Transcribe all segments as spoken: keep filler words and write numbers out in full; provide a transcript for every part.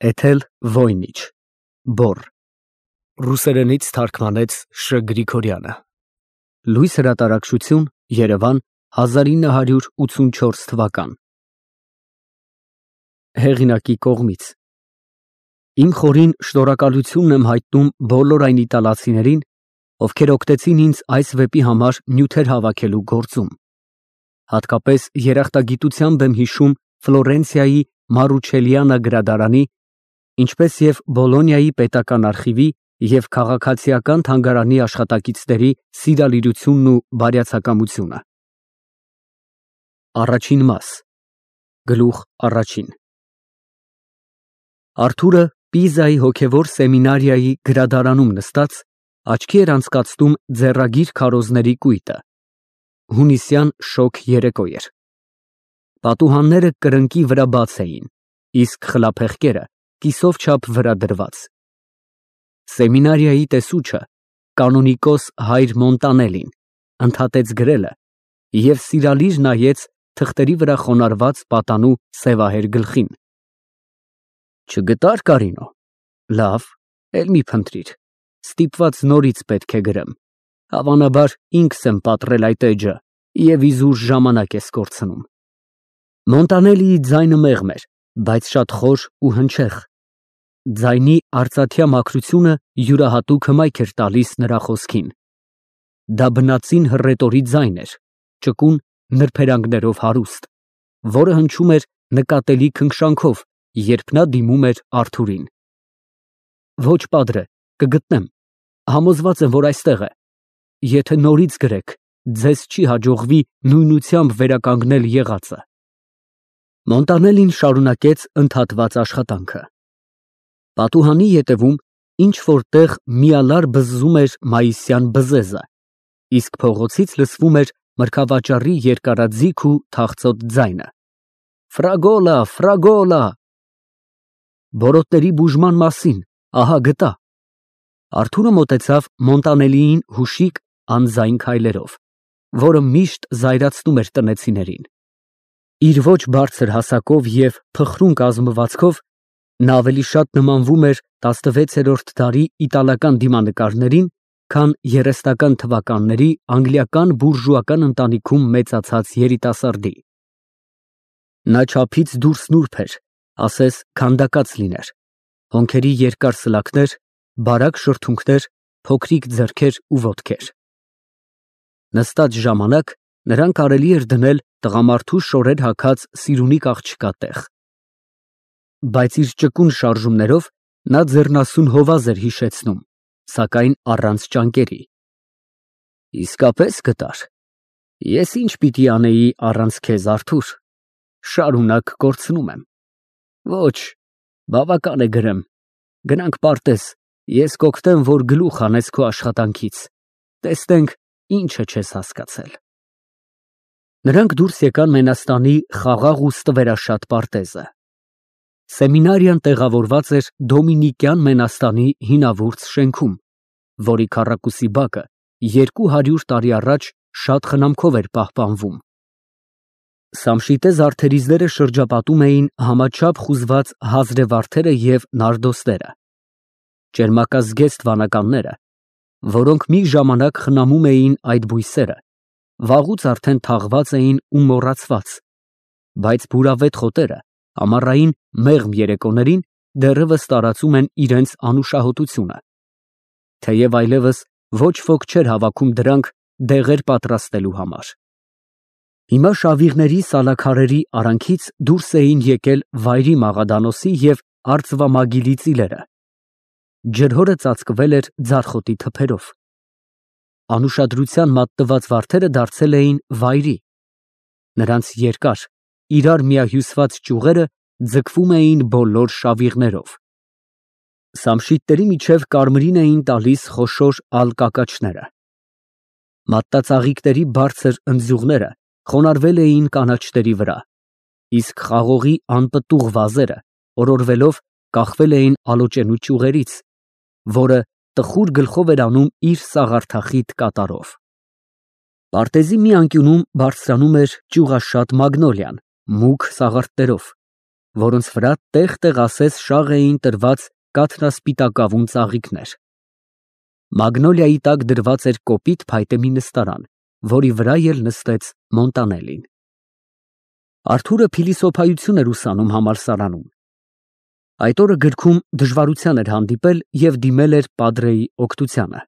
Էթել Վոյնիչ, Բոռ, ռուսերենից թարգմանեց Շ. Գրիգորյանը, Լույս հրատարակչություն, Երևան, հազար ինը հարյուր ութսունչորս թվական։ Հեղինակի կողմից։ Իմ խորին շնորհակալությունն եմ հայտնում բոլոր այն իտալացիներին, ովքեր օգնեցին ինձ այս վեպի համար նյութեր հավաքելու գործում։ Հատկապես երախտագիտությամբ եմ հիշում Ֆլորենցիայի Մարուչելիանա գրադարանի, ինչպես և Բոլոնիայի պետական արխիվի և քաղաքացիական թանգարանի աշխատակիցների սիրալիրությունն ու բարյացակամությունը։ Առաջին մաս։ Գլուխ առաջին։ Արթուրը Պիզայի հոգևոր սեմինարիայի գրադարանում նստած աչքի էր անցկացնում ձեռագիր քարոզների կույտը։ Հունիսյան շոգ երեկո էր։ Պատուհանները կրնկի վրա բաց էին, իսկ խլափեղկերը կիսով չափ վրա դրված։ Սեմինարիայի տեսուչը, կանոնիկոս հայր Մոնտանելին, ընդհատեց գրելը և սիրալիր նայեց թղթերի վրա խոնարհված պատանու սևահեր գլխին։ Չգտա՞ր, Կարինո։ Լավ, էլ մի փնտրիր, ստիպված նորից պետք է գրեմ, հավանաբար ինքս եմ պատռել այդ էջը և իզուր ժամանակ ես կորցնում։ Մոնտանելիի ձայնը մեղմ էր, բայց շատ խոր ու հնչեղ։ Ձայնի արծաթյա մաքրությունը յուրահատուկ հմայք էր տալիս նրա խոսքին։ Դա բնածին հռետորի ձայն էր, ճկուն նրբերանգներով հարուստ, որը հնչում էր նկատելի քնքշանքով, երբ նա դիմում էր Արթուրին։ Ոչ, պատրե, կգտնեմ, համոզված եմ, որ այստեղ է։ Եթե նորից գրեք, ձեզ չի հաջողվի նույնությամբ վերականգնել եղածը։ Մոնտանելին շարունակեց ընդհատված աշխատանքը։ Պատուհանի ետևում ինչ-որ տեղ միալար բզզում էր մայիսյան բզեզը, իսկ փողոցից լսվում էր մրգավաճառի երկարաձիգ ու թախծոտ ձայնը. Ֆրագոլա, ֆրագոլա։ Բորոտների բուժման մասին, ահա գտա։ Արթուրը մոտեցավ Մոնտանելիին հուշիկ անձայն քայլերով, որը միշտ զայրացնում էր տնեցիներին։ Իր ոչ բարձր հասակով և փխրուն կազմվածքով նա ավելի շատ նմանվում էր տասնվեցերորդ դարի իտալական դիմանկարներին, քան երեսնական թվականների անգլիական բուրժուական ընտանիքում մեծացած երիտասարդի։ Նա չափից դուրս նուրբ էր, ասես քանդակած լիներ, հոնքերի երկար սլաքներ, բարակ շրթունքներ, փոքրիկ ձեռքեր ու ոտքեր։ Նստած ժամանակ նրան կարելի էր դնել տղամարդու շորեր հագած սիրունիկ աղջկա տեղ։ Բայց իր ճկուն շարժումներով նա ձեռնասուն հովազ էր հիշեցնում, սակայն առանց ճանկերի։ Իսկապես գտար։ Ես ինչ պիտի անեի առանց քեզ, Արթուր, շարունակ կորցնում եմ։ Ոչ, բավական է գրեմ, գնանք պարտեզ, ես կօգնեմ, որ գլուխ հանես քո աշխատանքից, տեսնենք ինչը չես հասկացել։ Նրանք դուրս եկան Մենաստանի խաղաղ ու ստվերաշատ պարտեզը։ Սեմինարիան տեղավորված էր Դոմինիկյան Մենաստանի հինավուրց շենքում, որի քառակուսի բակը երկու հարյուր տարի առաջ շատ խնամքով էր պահպանվում։ Սամշիտե զարդերիզները շրջապատում էին համաչափ խուզված հազրեվարդերը և նարդոստերը։ Ճերմակազգեստ վանականները, որոնք մի ժամանակ խնամում էին այդ բույսերը, վաղուց արդեն թաղված էին ու մոռացված, բայց բուրավետ խոտերը ամառային մեղմ երեկոներին դեռևս տարածում են իրենց անուշահոտությունը, թեև այլևս ոչ ոք չէր հավաքում դրանք դեղեր պատրաստելու համար։ Հիմա շավիղների սալաքարերի արանքից դուրս էին եկել վայրի մաղադանոսի և արծվամագիլի ծիլերը։ Ջրհորը ծածկվել էր ձարխոտի թփերով։ Անուշադրության մատնված վարդերը դարձել էին վայրի։ Նրանց երկար, իրար միահյուսված ճյուղերը ձգվում էին բոլոր շավիղներով։ Սամշիտների միջև կարմիրին էին տալիս խոշոր ալկակաչները։ Մատտածաղիկների բարձր ընձյուղները խոնարհվել էին կանաչների վրա, իսկ խաղողի անպտուղ վազերը օրորվելով կախվել էին ալոճենու ճյուղերից, որը տխուր գլխով էր անում իր սաղարթախիտ կատարով։ Պարտեզի մի անկյունում բարձրանում էր ճյուղաշատ մագնոլիան, մուգ սաղարթներով, որոնց վրա տեղ-տեղ ասես շաղ էին տրված կաթնասպիտակավուն ծաղիկներ։ Մագնոլիայի տակ դրված էր կոպիտ փայտե մի նստարան, որի վրա էլ նստեց Մոնտանելին։ Արթուրը փիլիսոփայություն էր ուսանում համալսարանում։ Այդ օրը գրքում դժվարության էր հանդիպել և դիմել էր պատրեի օգնությանը։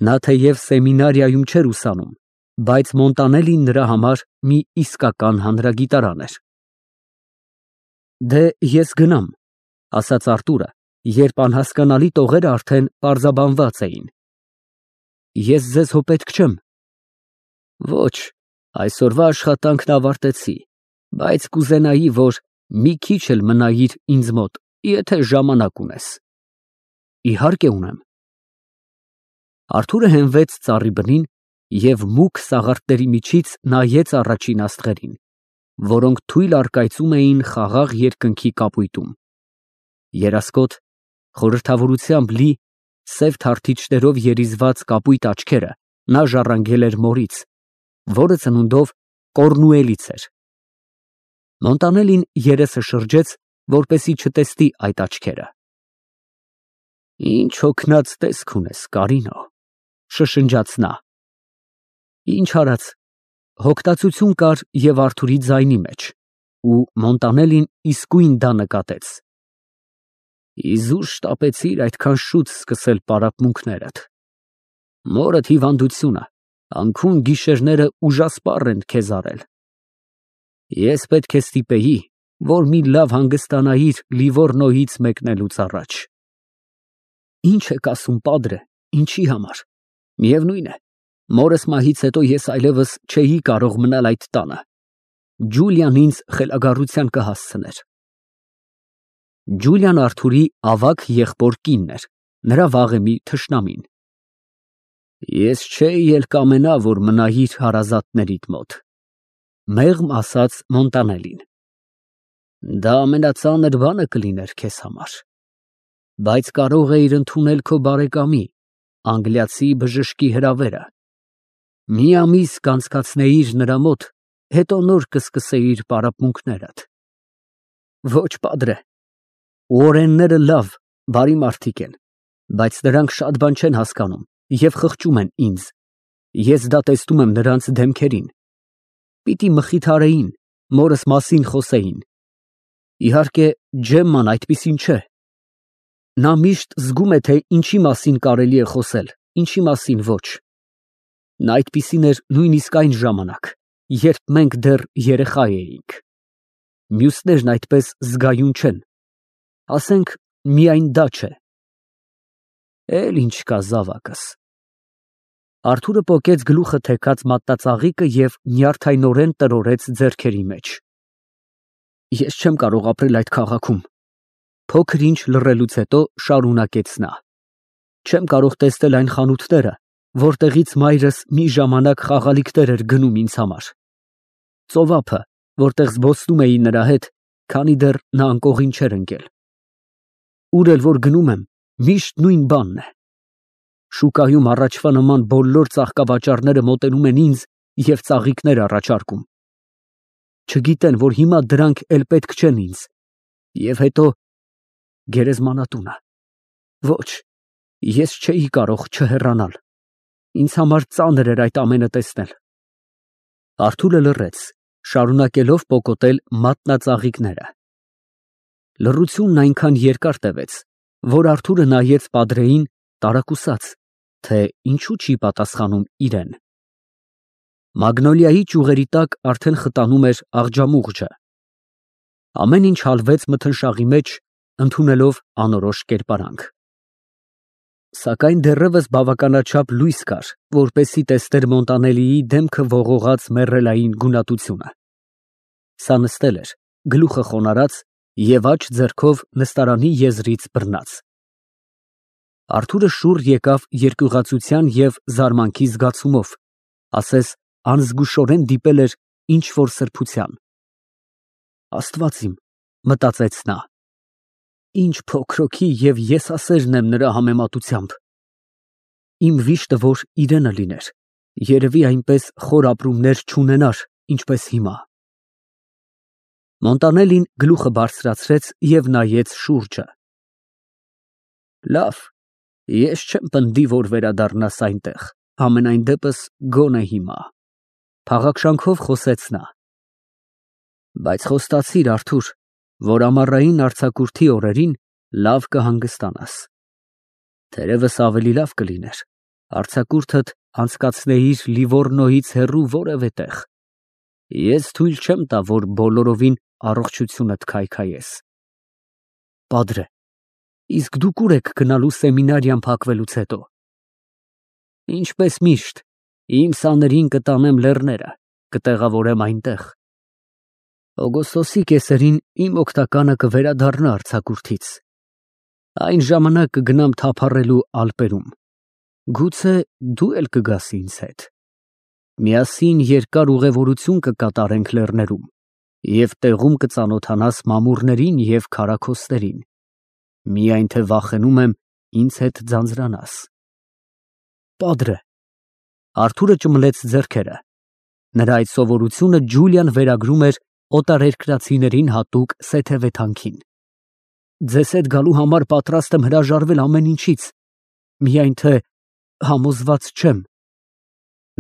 Նա թեև սեմինարիայում չէր ուսանում, բայց Մոնտանելին նրա համար մի իսկական հանրագիտարան էր։ Դե ես գնամ, ասաց Արթուրը, երբ անհասկանալի տողերը արդեն պարզաբանված էին։ Ես ձեզ հո պետք չեմ։ Ոչ, այսօրվա աշխատանքն ավարտեցի, բայց կուզենայի, որ մի քիչ էլ մնայիր ինձ մոտ, եթե ժամանակ ունես։ Իհարկե ունեմ։ Արթուրը հենվեց ծառի բնին և մուգ սաղարթների միջից նայեց առաջին աստղերին, որոնք թույլ առկայծում էին խաղաղ երկնքի կապույտում։ Երասկոտ, խորհրդավորությամբ լի, սև թարթիչներով երիզված կապույտ աչքերը նա ժառանգել էր մորից, որը ծնունդով Կոռնուելից էր։ Մոնտանելին երեսը շրջեց, որպեսզի չտեսնի այդ աչքերը։ Ինչ հոգնած տեսք ունես, Կարինո, շշնջաց նա։ Ինչ արած, հոգտացություն կար և Արթուրի ձայնի մեջ, ու Մոնտանելին իսկույն դա նկատեց։ Իզուր շտապեցիր այդքան շուտ սկսել պարապմունքներդ։ Մորդ հիվանդությունը, անքուն գիշերները ուժասպառ են քեզ արել։ Ես պետք է ստիպեի, որ մի լավ հանգստանայիր Լիվորնոյից մեկնելուց առաջ։ Ինչ եք ասում, պատրե, ինչի համար։ Միևնույն է, մորս մահից հետո ես այլևս չէի կարող մնալ այդ տանը։ Ջուլիան ինձ խելագարության կհասցներ։ Ջուլիան Արթուրի ավագ եղբոր կինն էր, նրա վաղեմի թշնամին։ Ես չէի էլ կամենա, որ մնայիր հարազատներիդ մոտ, մեղմ ասաց Մոնտանելին։ Դա ամենածանր բանը կլիներ քեզ համար, բայց կարող էիր ընդունել քո բարեկամի, անգլիացի բժշկի հրավերը։ Մի ամիս կանցկացնեիր նրա մոտ, հետո նոր կսկսեիր պարապմունքներդ։ Ոչ, պատրե, Ուորենները լավ, բարի մարդիկ են, բայց նրանք շատ բան չեն հասկանում և խղճում են ինձ։ Ես դա տեսնում եմ նրանց դեմքերին։ Պիտի մխիթարեին, մորս մասին խոսեին։ Իհարկե, Ջեմման այդպիսին չէ։ Նա միշտ զգում է, թե ինչի մասին կարելի է խոսել, ինչի մասին ոչ։ Նա այդպիսին էր նույնիսկ այն ժամանակ, երբ մենք դեռ երեխա էինք։ Մյուսներն այդպես զգայուն չեն։ Ասենք, միայն դա չէ։ Էլ ինչ կա զավակս։ Արթուրը պոկեց գլուխը թեքած մատնածաղիկը և նյարդայնորեն տրորեց ձեռքերի մեջ։ Ես չեմ կարող ապրել այդ քաղաքում։ Փոքր ինչ լռելուց հետո շարունակեց նա։ Չեմ կարող տեսնել այն խանութները, որտեղից մայրս մի ժամանակ խաղալիքներ էր գնում ինձ համար։ Ծովափը, որտեղ զբոսնում էի նրա հետ, քանի դեռ նա անկողին չէր ընկել։ Ուր էլ որ գնում եմ, միշտ նույն բանն է։ Շուկայում առաջվա նման բոլոր ծաղկավաճառները մոտենում են ինձ և ծաղիկներ առաջարկում։ Չգիտեն, որ հիմա դրանք էլ պետք չեն ինձ։ Եվ հետո գերեզմանատունը։ Ոչ, ես չէի կարող չհեռանալ։ Ինձ համար ծանր էր այդ ամենը տեսնել։ Արթուրը լռեց, շարունակելով պոկոտել մատնածաղիկները։ Լռությունն այնքան երկար տևեց, որ Արթուրը նայեց պատրեին տարակուսած, թե ինչու չի պատասխանում իրեն։ Մագնոլիայի ճյուղերի տակ արդեն խտանում էր աղջամուղջը։ Ամեն ինչ հալվեց մթնշաղի մեջ, ընդունելով անորոշ կերպարանք։ Սակայն դեռևս բավականաչափ լույս կար, որպեսզի տեսներ Մոնտանելիի դեմքը ողողած մեռելային գունատությունը։ Սա նստել էր, գլուխը խոնարհած և աջ ձեռքով նստարանի եզրից բռնած։ Արթուրը շուռ եկավ երկյուղացության և զարմանքի զգացումով, ասես անզգուշորեն դիպել էր ինչ֊որ սրբության։ Աստված իմ, մտածեց նա, ինչ փոքրոքի և եսասերն եմ նրա համեմատությամբ։ Իմ վիշտը որ իրենը լիներ, երևի այնպես խոր ապրումներ չունենար, ինչպես հիմա։ Մոնտանելին գլուխը բարձրացրեց և նայեց շուրջը։ Լավ, ես չեմ պնդի, որ վերադառնաս այնտեղ, համենայն դեպս գոնե հիմա, փաղաքշանքով խոսեց նա։ Բայց խոստացիր, Արթուր, որ ամառային արձակուրդի օրերին լավ կհանգստանաս։ Թերևս ավելի լավ կլիներ արձակուրդդ անցկացնեիր Լիվորնոյից հեռու որևէ տեղ։ Ես թույլ չեմ տա, որ բոլորովին առողջությունդ քայքայես։ Պատրե, իսկ դուք ուր եք գնալու սեմինարիան փակվելուց հետո։ Ինչպես միշտ, իմ սաներին կտանեմ լեռները, կտեղավորեմ այնտեղ։ Օգոստոսի կեսերին իմ օգնականը կվերադառնա արձակուրդից։ Այն ժամանակ կգնամ թափառելու Ալպերում։ Գուցե դու էլ կգաս ինձ հետ։ Միասին երկար ուղևորություն կկատարենք լեռներում և տեղում կծանոթանաս մամուռներին և քարաքոստերին, միայն թե վախենում եմ ինձ հետ ձանձրանաս։ Պատրե։ Արթուրը ճմլեց ձեռքերը։ Նրա այդ սովորությունը Ջուլիան վերագրում էր օտարերկրացիներին հատուկ սեթևեթանքին։ Ձեզ հետ գալու համար պատրաստ եմ հրաժարվել ամեն ինչից, միայն թե համոզված չեմ։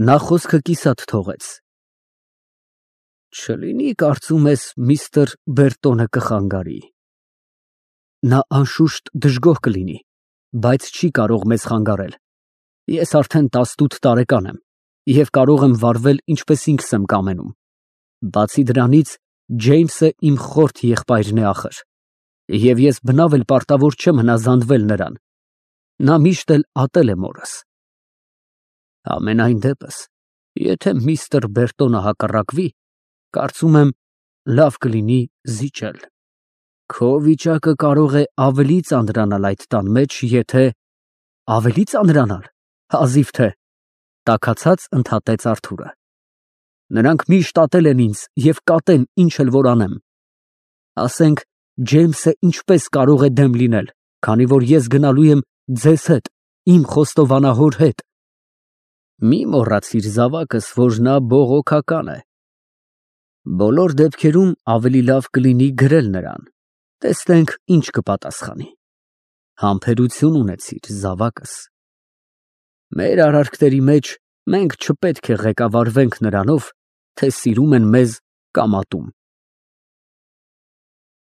Նա խոսքը կիսատ թողեց։ Չլինի կարծում ես միստր Բերտոնը կխանգարի։ Նա անշուշտ դժգոհ կլինի, բայց չի կարող մեզ խանգարել։ Ես արդեն տասնութ տարեկան եմ և կարող եմ վարվել ինչպես ինքս եմ կամենում։ Բացի դրանից, Ջեյմսը իմ խորթ եղբայրն է ախր, և ես բնավ էլ պարտավոր չեմ հնազանդվել նրան։ Նա միշտ էլ ատել է մորս։ Համենայն դեպս, եթե միստր Բերտոնը հակառակվի, կարծում եմ, լավ կլինի զիջել։ Քո վիճակը կարող է ավելի ծանրանալ այդ տան մեջ, եթե… Ավելի ծանրանալ, հազիվ թե… Տաքացած ընդհատեց Արթուրը։ Նրանք միշտ ատել են ինձ և կատեն, ինչ էլ որ անեմ։ Ասենք, Ջեյմսը ինչպես կարող է դեմ լինել, քանի որ ես գնալու եմ ձեզ հետ, իմ խոստովանահոր հետ։ Մի մոռացիր զավակս, որ նա բողոքական է։ Բոլոր դեպքերում ավելի լավ կլինի գրել նրան, տեսնենք ինչ կպատասխանի։ Համբերություն ունեցիր, զավակս։ Մեր արարքների մեջ մենք չպետք է ղեկավարվենք նրանով, թե սիրում են մեզ կամ ատում։